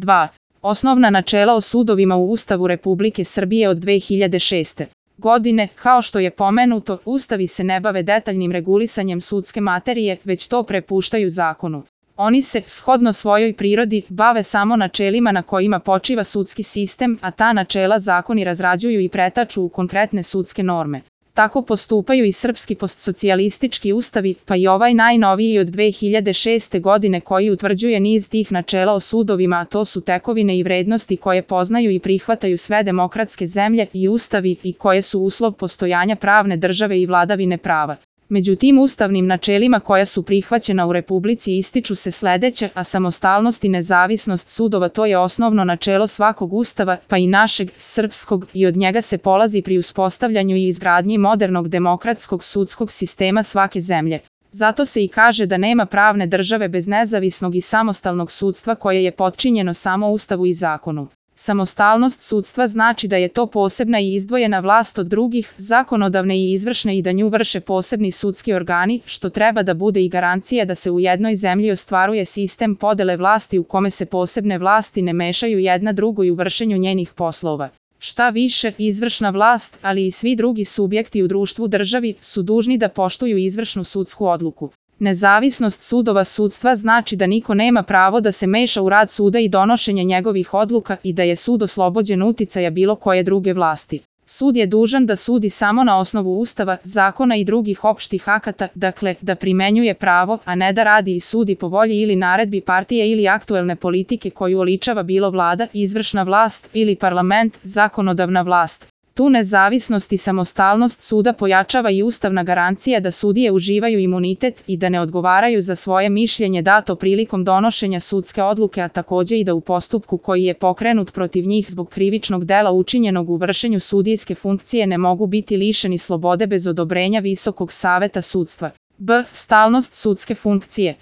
2. Osnovna načela o sudovima u Ustavu Republike Srbije od 2006. godine. Kao što je pomenuto, ustavi se ne bave detaljnim regulisanjem sudske materije, već to prepuštaju zakonu. Oni se, shodno svojoj prirodi, bave samo načelima na kojima počiva sudski sistem, a ta načela zakoni razrađuju i pretaču u konkretne sudske norme. Tako postupaju i srpski postsocijalistički ustavi, pa i ovaj najnoviji od 2006. godine koji utvrđuje niz tih načela o sudovima, a to su tekovine i vrednosti koje poznaju i prihvataju sve demokratske zemlje i ustavi i koje su uslov postojanja pravne države i vladavine prava. Među tim ustavnim načelima koja su prihvaćena u Republici ističu se sledeće, a samostalnost i nezavisnost sudova to je osnovno načelo svakog ustava, pa i našeg, srpskog, i od njega se polazi pri uspostavljanju i izgradnji modernog demokratskog sudskog sistema svake zemlje. Zato se i kaže da nema pravne države bez nezavisnog i samostalnog sudstva koje je potčinjeno samo Ustavu i zakonu. Samostalnost sudstva znači da je to posebna i izdvojena vlast od drugih, zakonodavne i izvršne i da nju vrše posebni sudski organi, što treba da bude i garancija da se u jednoj zemlji ostvaruje sistem podele vlasti u kome se posebne vlasti ne mešaju jedna drugoj u vršenju njenih poslova. Šta više, izvršna vlast, ali i svi drugi subjekti u društvu državi, su dužni da poštuju izvršnu sudsku odluku. Nezavisnost sudova sudstva znači da niko nema pravo da se meša u rad suda i donošenje njegovih odluka i da je sud oslobođen uticaja bilo koje druge vlasti. Sud je dužan da sudi samo na osnovu Ustava, zakona i drugih opštih akata, dakle, da primenjuje pravo, a ne da radi i sudi po volji ili naredbi partije ili aktuelne politike koju oličava bilo vlada, izvršna vlast ili parlament, zakonodavna vlast. Tu nezavisnost i samostalnost suda pojačava i ustavna garancija da sudije uživaju imunitet i da ne odgovaraju za svoje mišljenje dato prilikom donošenja sudske odluke, a takođe i da u postupku koji je pokrenut protiv njih zbog krivičnog dela učinjenog u vršenju sudijske funkcije ne mogu biti lišeni slobode bez odobrenja Visokog saveta sudstva. B. Stalnost sudske funkcije.